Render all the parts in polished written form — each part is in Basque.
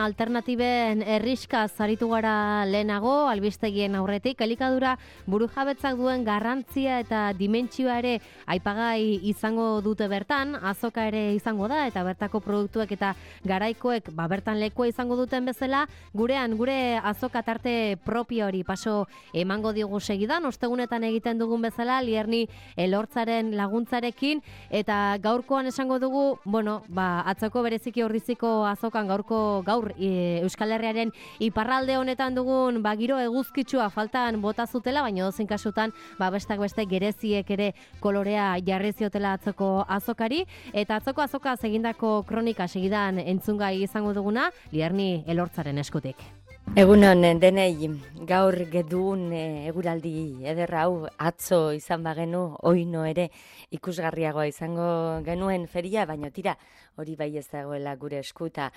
Alternatiben erriska zaritu gara lehenago, albistegien aurretik, elikadura burujabetzak duen garrantzia eta dimentsioa ere aipagai izango dute bertan, azoka ere izango da, eta bertako produktuek eta garaikoek bertan lekua izango duten bezala, gurean, gure azoka tarte propio hori paso emango diogu segidan, ostegunetan egiten dugun bezala, Lierni Elortzaren laguntzarekin, eta gaurkoan esango dugu, atzoko bereziki Ordiziko azokan gaur Euskal Herriaren iparralde honetan dugun giro eguzkitsua faltan bota zutela, baina dozein kasutan bestak beste gereziek ere kolorea jarri ziotela atzoko azokari, eta atzoko azoka egindako kronika segidan entzungai izango duguna Lierni Elortzaren eskutik. Egunon denei, gaur gedun eguraldi ederra hau atzo izan bagenu, oino ere ikusgarriagoa izango genuen feria, baina tira hori bai ez dagoela gure eskuta.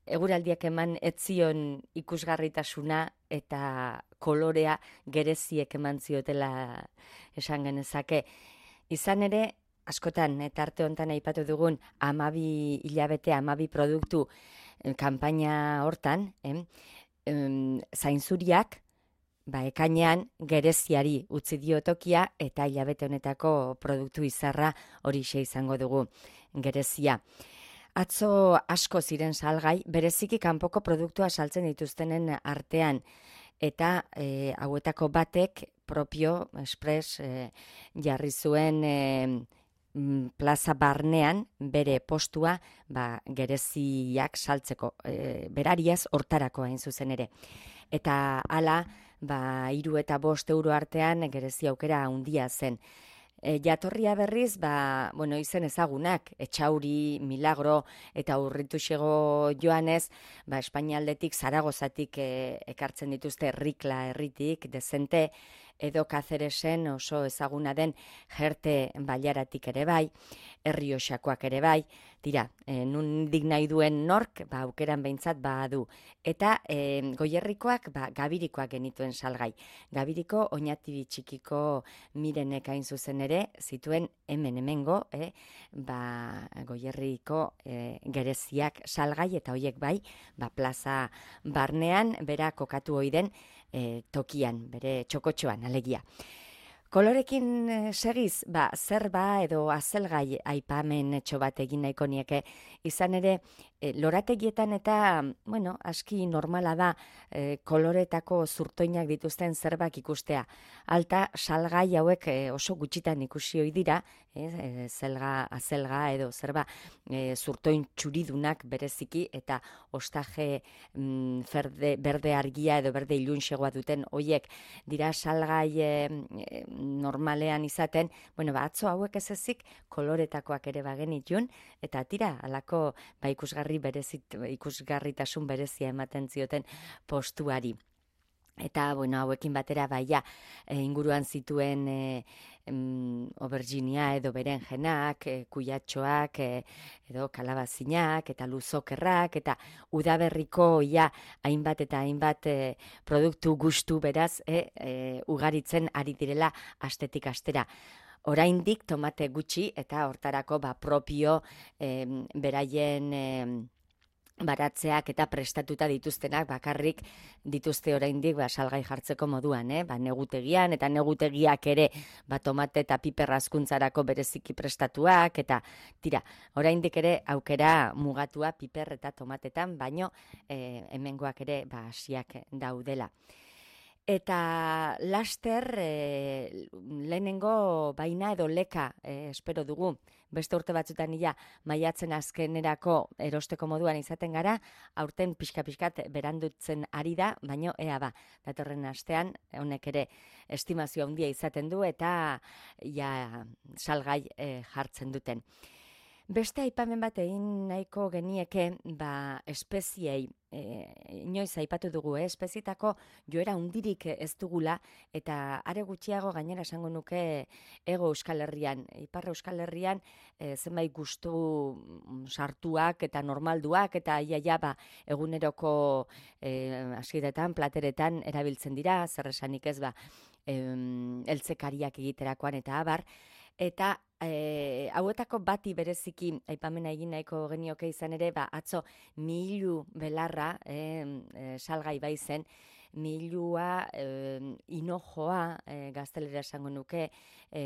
Eguraldiak eman etzion ikusgarritasuna eta kolorea gereziek eman ziotela esan genezake. Izan ere, askotan, eta arte honetan aipatu dugun 12 hilabete, 12 produktu kanpaina hortan, zainzuriak, ekainean gereziari utzi dio tokia eta hilabete honetako produktu izarra horixe izango dugu gerezia. Atzo asko ziren salgai, bereziki kanpoko produktua saltzen dituztenen artean, eta hauetako batek propio, express, jarri zuen plaza barnean bere postua gereziak saltzeko, berariaz hortarako hain zuzen ere. Eta hala, 3 eta 5 euro artean gerezi aukera handia zen. Jatorria berriz, izen ezagunak, Etxauri, Milagro eta Urrituxego joanez, Espainialdetik, Zaragozatik ekartzen dituzte Rikla herritik, Dezente, edo Kaceresen oso ezaguna den Jerte Bailaratik ere bai, Errioxakoak ere bai, tira, nundik nahi duen nork, aukeran behintzat badu. Eta Goierrikoak, Gabirikoak genituen salgai. Gabiriko, Oñatibi txikiko Mirenek hain zuzen ere, zituen hemengo, Goierriko gereziak salgai, eta hoiek bai, plaza barnean, bera kokatu oiden tokian, bere txokotxoan, alegia. Kolorekin segiz, zerba edo azelgai aipamen etxo bat egin nahiko nieke, izan ere, lorategietan eta, aski normala da koloretako zurtoinak dituzten zerbak ikustea. Alta, salgai hauek oso gutxitan ikusi ohi dira, zelga, azelga edo zerba zurtoin txuridunak bereziki, eta ostaje berde argia edo berde ilunxegoa duten hoiek dira salgai normalean izaten, atzo hauek ez ezik koloretakoak ere bagenitun, eta tira, alako ikusgarritasun berezia ematen zioten postuari. Eta, hauekin batera inguruan zituen auberginia edo berenjenak, kuiatxoak, edo kalabazinak, eta luzokerrak, eta udaberriko hainbat eta hainbat produktu gustu beraz, ugaritzen ari direla astetik astera. Oraindik tomate gutxi eta hortarako propio beraien baratzeak eta prestatuta dituztenak bakarrik dituzte oraindik salgai jartzeko moduan, negutegian, eta negutegiak ere tomate eta piper hazkuntzarako bereziki prestatuak, eta tira, oraindik ere aukera mugatua piper eta tomatetan, baino hemengoak ere hasiak daudela. Eta laster lehenengo baina edo leka espero dugu. Beste urte batzutan maiatzen azkenerako erosteko moduan izaten gara, aurten pixka-pixkat berandutzen ari da, baino datorren astean honek ere estimazio handia izaten du eta salgai jartzen duten. Beste aipamen bat egin nahiko genieke, espeziei, inoiz aipatu dugu, espezietako joera hundirik ez dugula, eta are gutxiago gainera esango nuke Hego Euskal Herrian. Ipar Euskal Herrian zenbait gustu sartuak eta normalduak, eta eguneroko asidetan, plateretan erabiltzen dira, zer esanik ez eltzekariak egiterakoan eta abar, eta hauetako bati bereziki aipamena egin nahiko genioke izan ere, atzo milu belarra salgai bai zen, milua, inojoa, gaztelera esango nuke,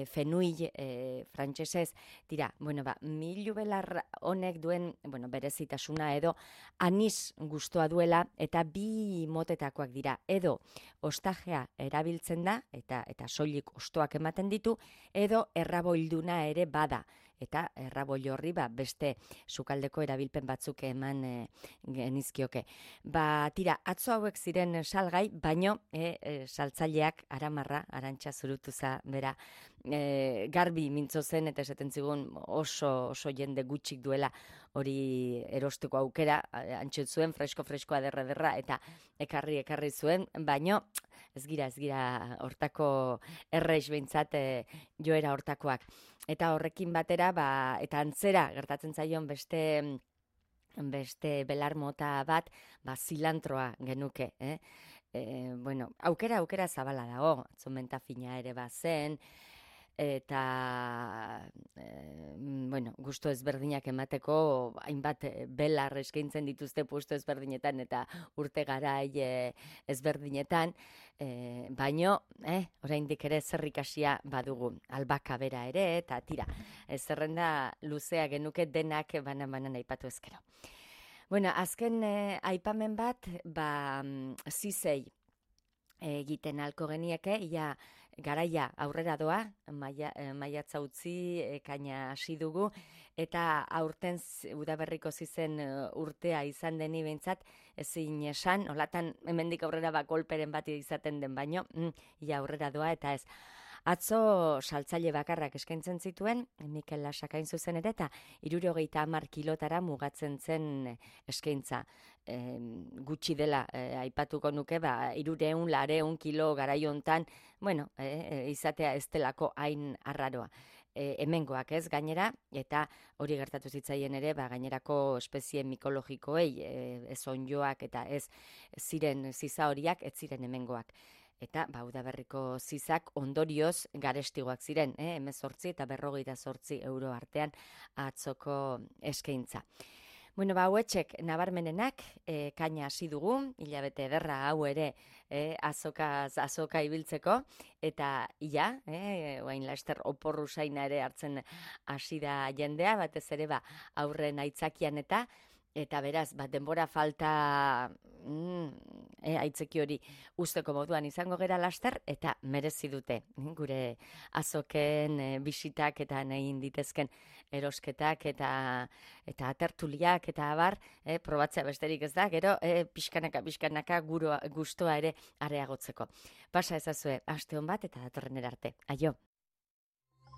fenuil frantsesez, dira, milu belar honek duen, berezitasuna edo anis gustoa duela, eta bi motetakoak dira, edo ostajea erabiltzen da, eta soilik ostoak ematen ditu, edo erraboilduna ere bada, eta erraboi horri beste sukaldeko erabilpen batzuk eman genizkioke. Tira, atzo hauek ziren salgai, baino saltzaileak Aramarra, Arantxa Zurutuza bera, garbi mintzo zen, eta esaten zigun oso jende gutxik duela hori erosteko aukera, antxut zuen, fresko aderra, eta ekarri zuen, baino ez gira hortako erreiz behintzat joera hortakoak. Eta horrekin batera, eta antzera gertatzen zaion beste belar mota bat, zilantroa genuke. Aukera zabala dago, atzomenta fina ere zen, eta gusto ezberdinak emateko hainbat belar eskaintzen dituzte puesto ezberdinetan eta urte garai ezberdinetan, baino oraindik ere zerrikasia badugu, albaka bera ere, eta tira, zerrenda luzea genuke denak banan aipatu ezkero. Azken aipamen bat, zizei egiten alko genieke, ia garaia aurrera doa, maiatza utzi, ekaina hasi dugu, eta aurten udaberriko zizen urtea izan deni behintzat, ezin esan, olatan hemendik aurrera kolperen bat izaten den baino, ia aurrera doa, eta ez. Atzo saltzaile bakarrak eskaintzen zituen, Mikel Lasakain zuzen ere, eta 70 kilotara mugatzen zen eskaintza. Gutxi dela, aipatuko nuke, 300 kilo garaiontan, izatea ez delako hain arraroa. Hemengoak ez gainera, eta hori gertatu zitzaien ere, gainerako espezie mikologikoei, ez onjoak eta ez ziren ziza horiak, ez ziren hemengoak. Eta udaberriko zizak ondorioz garestigoak ziren, 18 eta 48 euro artean atzoko eskaintza. Hauetxek nabarmenenak, kaina hasi dugu, hilabete ederra hau ere azoka ibiltzeko, eta oain laster oporru zaina ere hartzen hasi da jendea, batez ere aurren aitzakian eta beraz, denbora falta aitzeki hori usteko moduan izango gera laster, eta merezi dute gure azoken bisitak eta nahin ditezken erosketak eta tertuliak eta abar, probatzea besterik ez da, gero pixkanaka gustoa ere areagotzeko. Pasa ezazue, aste hon bat eta datorren erarte. Aio!